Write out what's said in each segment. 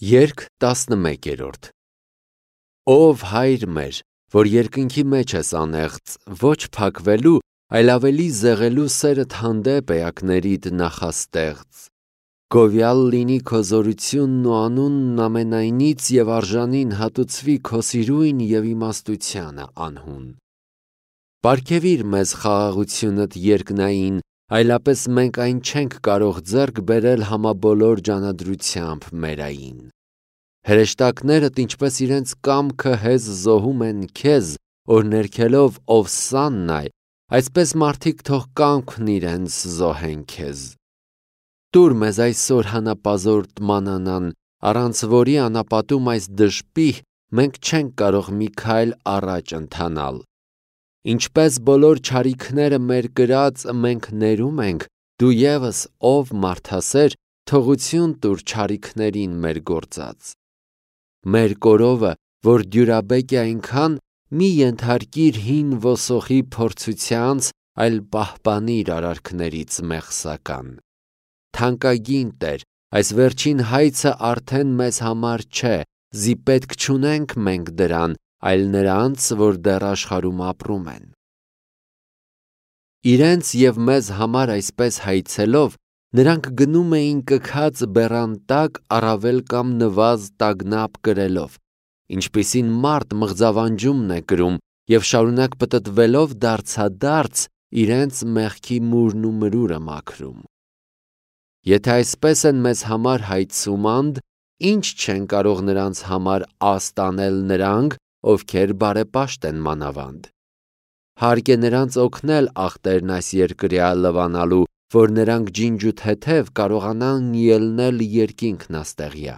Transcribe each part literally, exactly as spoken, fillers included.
Երգ տասնմեկերորդ Ով հայր մեր, որ երկնքի մեջ ես անեղծ, ոչ փակվելու, այլ ավելի զեղելու սերդ հանդեպ էակներիդ նախաստեղծ, գովյալ լինի քո զորությունն ու անունն ամենայնից և արժանին հատուցվի քո սիրույն և իմաստությանը անհուն։ Պարգևիր մեզ խաղաղությունդ երկնային, այլապես մենք այն չենք կարող ձեռք բերել համաբոլոր ջանադրությամբ մերային։ Հրեշտակներդ ինչպես իրենց կամքը հեզ զոհում են քեզ, որ ներքելով ով սանն այ, այսպես մարդիկ թող կամքն իրենց զոհեն քեզ։ Տուր մեզ այսօր հանապազորդ մանանան, առանց որի անապատում այս դժպիհ մենք չենք կարող մի քայլ առաջ ընթանալ։ Ինչպես բոլոր չարիքները մեր կրած մենք ներում ենք, դու ևս ով մարդասեր, թողություն տուր չարիքներին մեր գործած։ Մեր կորովը, որ դյուրաբեկ է այնքան, մի ենթարկիր հին ոսոխի փորձությանց, այլ պահպանիր արարքներից մեղսական։ Թանկագին Տեր, այս վերջին հայցը արդեն մեզ համար չէ, զի պետք չունենք մենք դրան, այլ նրանց, որ դեռ աշխարհում ապրում են։ Իրենց և մեզ համար այսպես հայցելով, նրանք գնում էին կքած բեռան տակ առավել կամ նվազ տագնապ կրելով, ինչպիսին մարդ մղձավանջումն է կրում և շարունակ պտտվելով դարձադարձ իրենց մեղքի մուրն ու մրուրը մաքրում։ Եթե այսպես են մեզ համար հայցում անդ, ինչ չեն կարող նրանց համար աստ անել նրանք, ովքեր բարեպաշտ են մանավանդ։ Հարկ է նրանց օգնել ախտերն այս երկրյա լվանալու, որ նրանք ջինջ ու թեթև կարողանան ելնել երկինքն աստեղյա։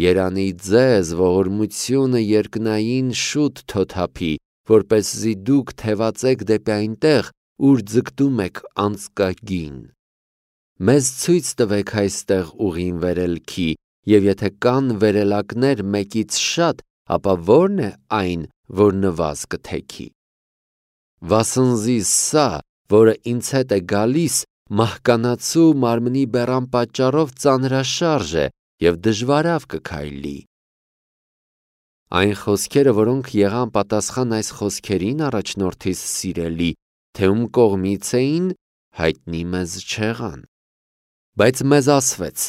Երանի ձեզ ողորմությունը երկնային շուտ թոթափի, որպեսզի դուք թևածեք դեպի այնտեղ, ուր ձգտում եք անձկագին։ Մեզ ցույց տվեք այստեղ ուղին վերելքի, և եթե կան վերելակներ մեկից շատ, ապա ո՞րն է այն, որ նվազ կթեքի։ Վասնզի սա, որը ինձ հետ է գալիս, մահկանացու մարմնի բեռան պատճառով ծանրաշարժ է և դժվարավ կքայլի։ Այն խոսքերը, որոնք եղան պատասխան այս խոսքերին առաջնորդիս սիրելի, թե ում կողմից էին, հայտնի մեզ չեղան։ Բայց մեզ ասվեց.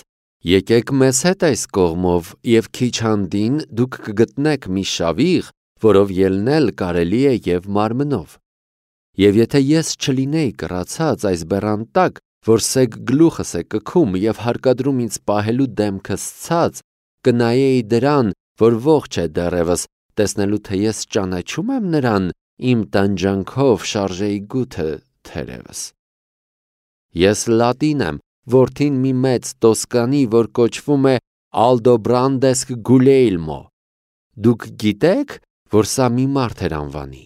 եկեք մեզ հետ այս կողմով, և քիչ հանդին դուք կգտնեք մի շավիղ, որով ելնել կարելի է և մարմնով։ Եվ եթե ես չլինեի կռացած այս բեռան տակ, որ սեգ գլուխս է կքում և հարկադրում ինձ պահելու դեմքս ցած, կնայեի դրան, որ ողջ է դեռևս, տեսնելու թե ես ճանաչում եմ նրան, իմ տանջանքով շարժեի գութը թերևս։ Ես լատին եմ, որդին մի մեծ տոսկանի, որ կոչվում է Ալդոբրանդեսկ Գուլեյլմո։ Դուք գիտե՞ք, որ սա մի մարդ էր անվանի։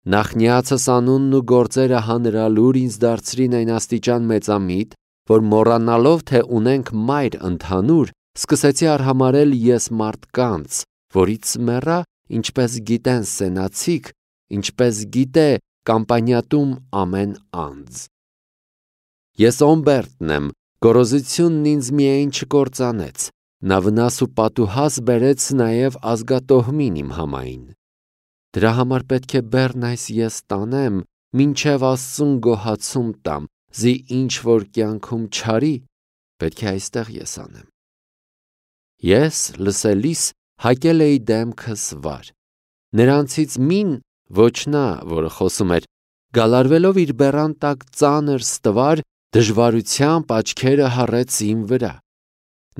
Նախնյացս անունն ու գործերը հանրալուր ինձ դարձրին այն աստիճան մեծամիտ, որ մոռանալով, թե ունենք մայր ընդհանուր, սկսեցի արհամարհել ես մարդկանց, որից մեռա, ինչպես գիտեն սենացիք, ինչպես գիտե կամպանիատում ամեն անձ։ Ես Օմբերտն եմ, գոռոզությունն ինձ միայն չկործանեց, նա վնաս ու պատուհաս բերեց նաև ազգատոհմին իմ համային։ Դրա համար պետք է բեռն այս ես տանեմ, մինչև Աստծուն գոհացում տամ, զի ինչ որ կյանքում չարի, պետք է այստեղ ես անեմ։ Ես լսելիս հակել էի դեմքս վար։ Նրանցից մին, ոչ նա, որը խոսում էր, գալարվելով իր բեռան տակ ծանր ստվար, դժվարությամբ աչքերը հառեց իմ վրա։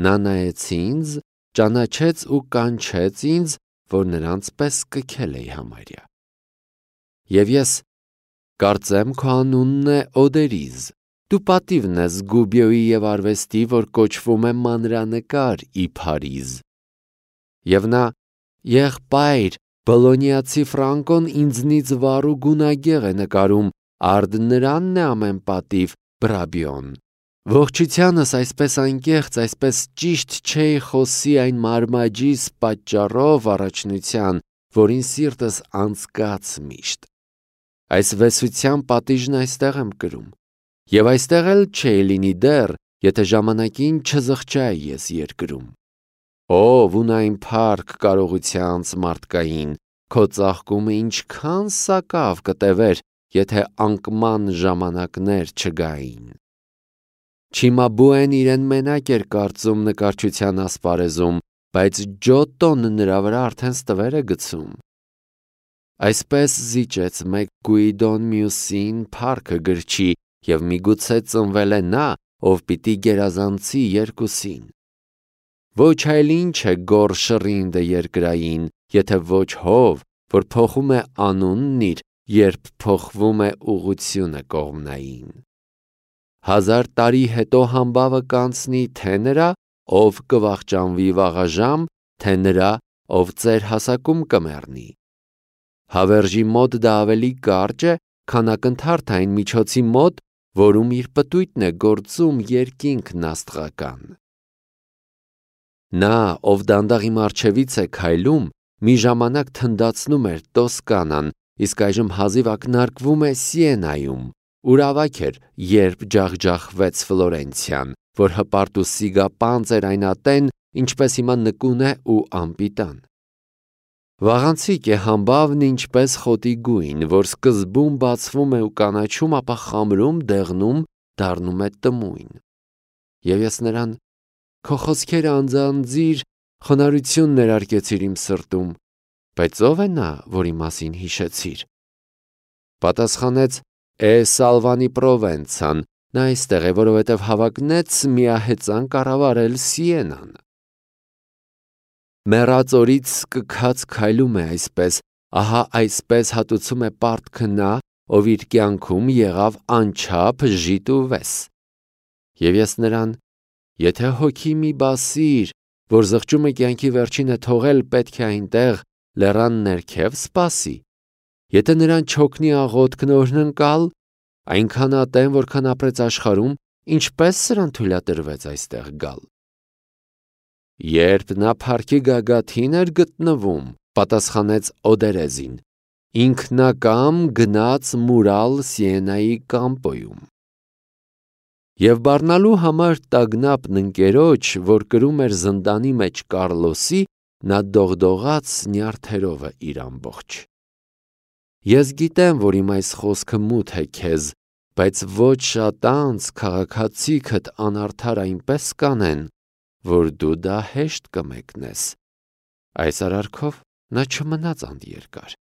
Նա նայեց ինձ, ճանաչեց ու կանչեց ինձ, որ նրանց պես կքել էի համարյա։ Եվ ես կարծեմ քո անունն է Օդերիզ, դու պատիվն ես Գուբիոյի և արվեստի, որ կոչվում է մանրանկար ի Փարիզ։ Եվ նա եղբայր, Բոլոնիացի Ֆրանկոն ինձնից վառ ու գունագեղ է նկարում, արդ նրանն է ամեն պատիվ Բրաբիոն։ Ողջությանս այսպես անկեղծ, այսպես ճիշտ չէի խոսի այն մարմաջիս պատճառով առաջնության, որին սիրտս անցկաց միշտ։ Այս վեսության պատիժն այստեղ եմ կրում, և այստեղ էլ չէի լինի դեռ, եթե ժամանակին չզղջայի ես երկրում։ Ով ունայն փառք կարողությանց մարդկային, քո ծաղկումը ինչքան սակավ կտևեր, եթե անկման ժամանակներ չգային։ Չիմաբուեն իրեն մենակ էր կարծում նկարչության ասպարեզում, բայց Ջոտտոն նրա վրա արդեն ստվեր է գցում։ Այսպես զիջեց մեկ Գուիդոն մյուսին փառքը գրչի, և միգուցե ծնվել է նա, ով պիտի գերազանցի երկուսին։ Ոչ այլ ինչ է գոռ շռինդը երկրային, եթե ոչ հով, որ փոխում է անունն իր, երբ փոխվում է ուղղությունը կողմնային։ Հազար տարի հետո համբավը կանցնի թե նրա, ով կվախճանվի վաղաժամ, թե նրա, ով ծեր հասակում կմեռնի։ Հավերժի մոտ դա ավելի կարճ է, քան ակնթարթային միջոցի մոտ, որում իր պտույտն է գործում երկինքն աստղական։ Նա, ով դանդաղի մառչևից է քայլում, մի ժամանակ թնդացնում էր Տոսկանան, իսկ այժմ հազիվ ակնարկվում է Սիենայում, ուր ավագ էր, երբ ջախջախվեց Ֆլորենցիան, որ հպարտ ու սիգապանծ էր այն ատեն, ինչպես հիմա նկուն է ու անպիտան։ Վաղանցիկ է համբավն ինչպես խոտի գույն, որ սկզբում բացվում է ու կանաչում, ապա խամրում, դեղնում, դառնում է տմույն։ Եվ ես նրան քո խոսքերը անձանձիր խոնարհություն ներարկեցիր իմ սրտում, բայց ով է նա, որի մասին հիշեցիր։ Պատասխանեց Է Սալվանի Պրովենցան, նա այստեղ է, որովհետև հավակնեց միահեծան կառավարել Սիենան։ Մեռած օրից սկքած քայլում է այսպես, ահա այսպես հատուցում է պարտքը նա, ով իր կյանքում եղավ անչափ ժիտ ու վես։ Եվ ես նրան, եթե հոգի մի բասիր, որ զղջում է կյանքի վերջինը թողել, պետք է այնտեղ լեռան ներքև սպասի, եթե նրան չօգնի աղոթքն օրհնընկալ, այնքան ատեն, որքան ապրեց աշխարհում, ինչպես սրան թույլատրվեց այստեղ գալ։ Երբ նա փառքի գագաթին էր գտնվում, պատասխանեց Օդերեզին, ինքնակամ գնաց մուրալ Սիենայի կամպոյում։ Եվ բառնալու համար տագնապն ընկերոջ, որ կրում էր զնդանի մեջ Կառլոսի, նա դողդողաց նյարդերովը իր ամբողջ։ Ես գիտեմ, որ իմ այս խոսքը մութ է քեզ, բայց ոչ շատ անց քաղաքացիքդ անարդար այնպես կանեն, որ դու դա հեշտ կմեկնես։ Այս արարքով նա չմնաց անտիերկար։